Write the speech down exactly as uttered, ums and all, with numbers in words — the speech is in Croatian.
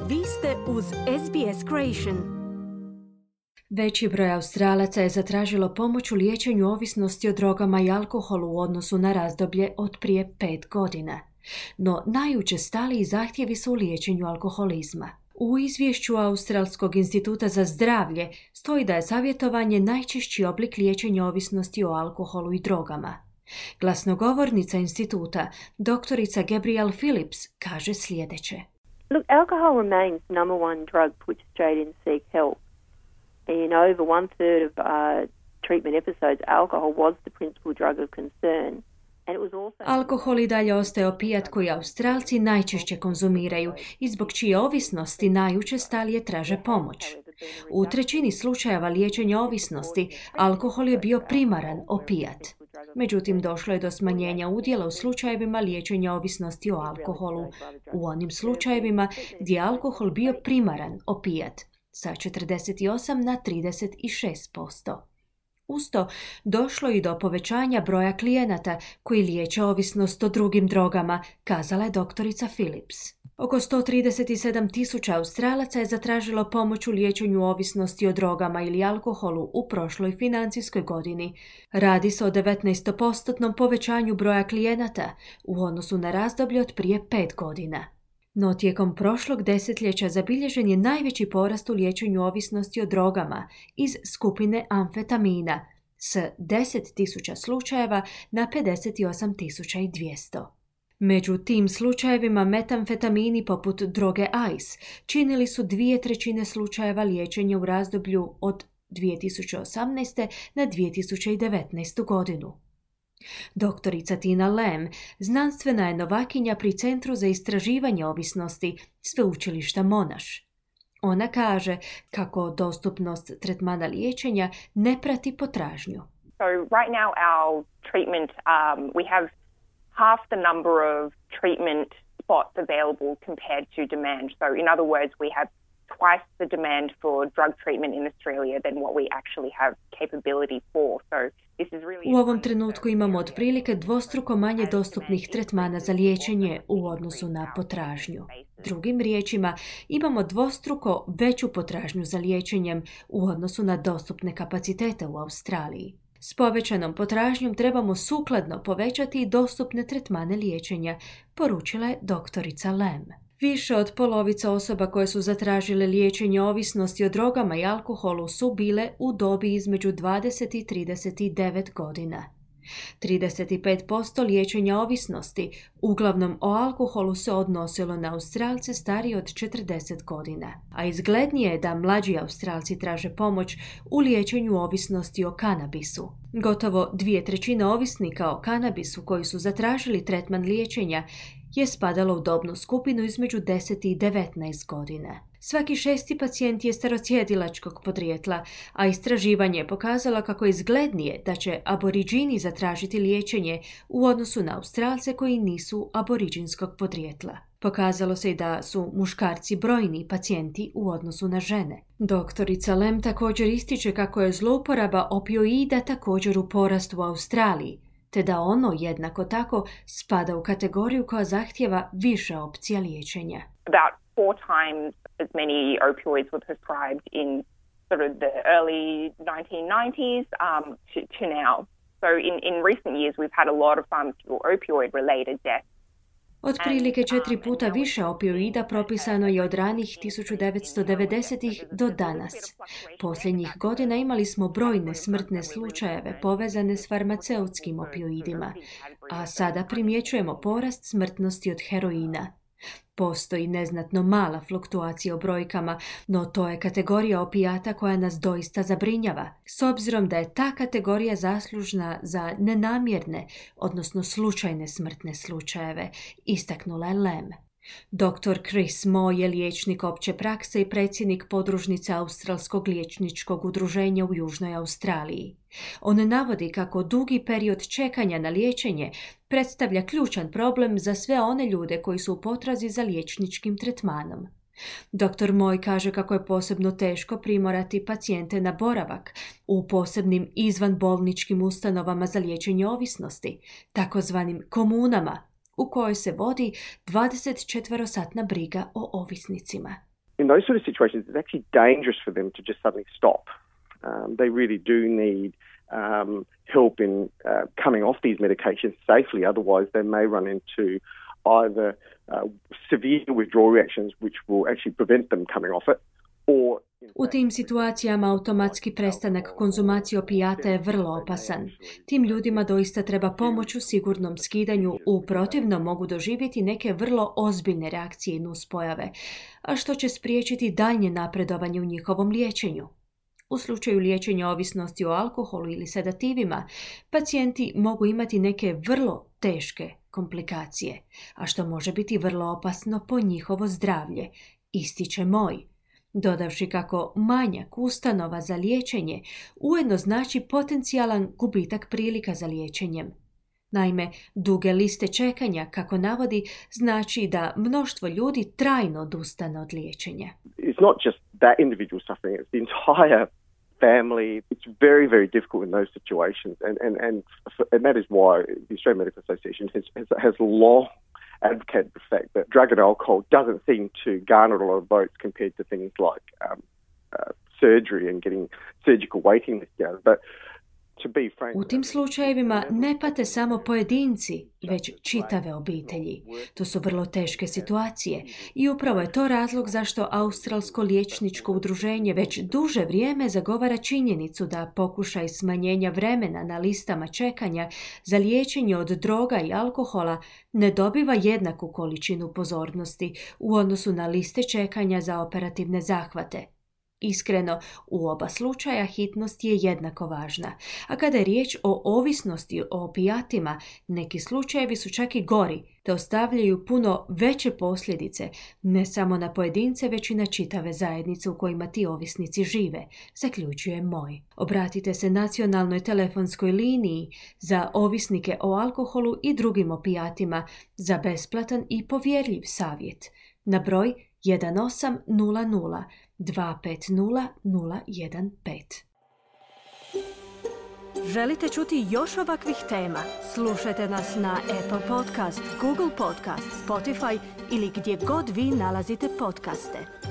Vi ste uz S B S Creation. Veći broj Australaca je zatražilo pomoć u liječenju ovisnosti o drogama i alkoholu u odnosu na razdoblje od prije pet godina. No najučestaliji zahtjevi su u liječenju alkoholizma. U izvješću Australskog instituta za zdravlje stoji da je savjetovanje najčešći oblik liječenja ovisnosti o alkoholu i drogama. Glasnogovornica instituta, doktorica Gabrielle Phillips, kaže sljedeće. Look, alcohol remains the number one drug put Australians seek help. In over one third of uh, treatment episodes, alcohol was the principal drug of concern. Alkohol i dalje ostaje opijat koji Australci najčešće konzumiraju i zbog čije ovisnosti najučestalije traže pomoć. U trećini slučajeva liječenja ovisnosti alkohol je bio primaran opijat. Međutim, došlo je do smanjenja udjela u slučajevima liječenja ovisnosti o alkoholu, u onim slučajevima gdje je alkohol bio primaran opijat, sa četrdeset osam na trideset šest posto. Usto, došlo i do povećanja broja klijenata koji liječe ovisnost o drugim drogama, kazala je doktorica Phillips. Oko sto trideset sedam tisuća Australaca je zatražilo pomoć u liječenju ovisnosti o drogama ili alkoholu u prošloj financijskoj godini. Radi se o devetnaestopostotnom povećanju broja klijenata u odnosu na razdoblje od prije pet godina. No tijekom prošlog desetljeća zabilježen je najveći porast u liječenju ovisnosti o drogama iz skupine amfetamina s deset tisuća slučajeva na pedeset osam tisuća dvjesto. Među tim slučajevima metamfetamini poput droge ice činili su dvije trećine slučajeva liječenja u razdoblju od dvije tisuće osamnaeste na dvije tisuće devetnaestu godinu. Doktorica Tina Lamb, znanstvena je novakinja pri Centru za istraživanje ovisnosti Sveučilišta Monash. Ona kaže kako dostupnost tretmana liječenja ne prati potražnju. So right now our treatment, um, we have half the number of treatment spots available compared to demand. So in other words, we have twice the demand for drug treatment in Australia than what we actually have capability for. So this is really U ovom trenutku imamo otprilike dvostruko manje dostupnih tretmana za liječenje u odnosu na potražnju. Drugim riječima, imamo dvostruko veću potražnju za liječenjem u odnosu na dostupne kapacitete u Australiji. S povećanom potražnjom trebamo sukladno povećati i dostupne tretmane liječenja, poručila je doktorica Lamb. Više od polovice osoba koje su zatražile liječenje ovisnosti o drogama i alkoholu su bile u dobi između dvadeset i trideset devet godina. trideset pet posto liječenja ovisnosti, uglavnom o alkoholu, se odnosilo na Australce stariji od četrdeset godina, a izglednije je da mlađi Australci traže pomoć u liječenju ovisnosti o kanabisu. Gotovo dvije trećine ovisnika o kanabisu koji su zatražili tretman liječenja je spadalo u dobnu skupinu između deset i devetnaest godina. Svaki šesti pacijent je starosjedilačkog podrijetla, a istraživanje je pokazalo kako je izglednije da će aboriđini zatražiti liječenje u odnosu na Australce koji nisu aboriđinskog podrijetla. Pokazalo se i da su muškarci brojni pacijenti u odnosu na žene. Doktorica Lamb također ističe kako je zlouporaba opioida također u porastu u Australiji, te da ono jednako tako spada u kategoriju koja zahtijeva više opcija liječenja. About four times as many opioids were prescribed in sort of the early nineteen nineties um, to, to now. So in, in recent years we've had a lot of pharmaceutical opioid-related deaths. Otprilike četiri puta više opioida propisano je od ranih tisuću devetsto devedesetih do danas. Posljednjih godina imali smo brojne smrtne slučajeve povezane s farmaceutskim opioidima, a sada primjećujemo porast smrtnosti od heroina. Postoji neznatno mala fluktuacija u brojkama, no to je kategorija opijata koja nas doista zabrinjava, s obzirom da je ta kategorija zaslužna za nenamjerne, odnosno slučajne smrtne slučajeve, istaknula je Lamb. doktor Chris Moe je liječnik opće prakse i predsjednik podružnice Australskog liječničkog udruženja u Južnoj Australiji. On navodi kako dugi period čekanja na liječenje predstavlja ključan problem za sve one ljude koji su u potrazi za liječničkim tretmanom. doktor Moe kaže kako je posebno teško primorati pacijente na boravak u posebnim izvanbolničkim ustanovama za liječenje ovisnosti, takozvanim komunama, u kojoj se vodi dvadesetčetverosatna briga o ovisnicima. in those sort of situations, it's actually dangerous for them to just suddenly stop. Um, they really do need um, help in uh, coming off these medications safely. Otherwise, they may run into either uh, severe withdrawal reactions, which will actually prevent them coming off it, or U tim situacijama automatski prestanak konzumacije opijata je vrlo opasan. Tim ljudima doista treba pomoć u sigurnom skidanju, u protivnom mogu doživjeti neke vrlo ozbiljne reakcije i nuspojave, a što će spriječiti daljnje napredovanje u njihovom liječenju. U slučaju liječenja ovisnosti o alkoholu ili sedativima, pacijenti mogu imati neke vrlo teške komplikacije, a što može biti vrlo opasno po njihovo zdravlje, ističe Moj, dodavši kako manjak ustanova za liječenje ujedno znači potencijalan gubitak prilika za liječenjem. Naime, duge liste čekanja, kako navodi, znači da mnoštvo ljudi trajno odustane od liječenja. It's not just that individual suffering, it's the entire family. It's very, very difficult in those situations, and and and, and that is why the Australian Medical Association has has, has long advocated the fact that drug and alcohol doesn't seem to garner a lot of votes compared to things like um, uh, surgery and getting surgical waiting lists down. But to be frank, u tim slučajevima ne pate samo pojedinci, već čitave obitelji. To su vrlo teške situacije i upravo je to razlog zašto Australsko liječničko udruženje već duže vrijeme zagovara činjenicu da pokušaj smanjenja vremena na listama čekanja za liječenje od droga i alkohola ne dobiva jednaku količinu pozornosti u odnosu na liste čekanja za operativne zahvate. Iskreno, u oba slučaja hitnost je jednako važna, a kada je riječ o ovisnosti o opijatima, neki slučajevi su čak i gori, te ostavljaju puno veće posljedice, ne samo na pojedince, već i na čitave zajednice u kojima ti ovisnici žive, zaključuje Moj. Obratite se nacionalnoj telefonskoj liniji za ovisnike o alkoholu i drugim opijatima za besplatan i povjerljiv savjet na broj jedan osam nula nula dva pet nula nula jedan pet. Želite čuti još ovakvih tema? Slušajte nas na Apple Podcast, Google Podcast, Spotify ili gdje god vi nalazite podcaste.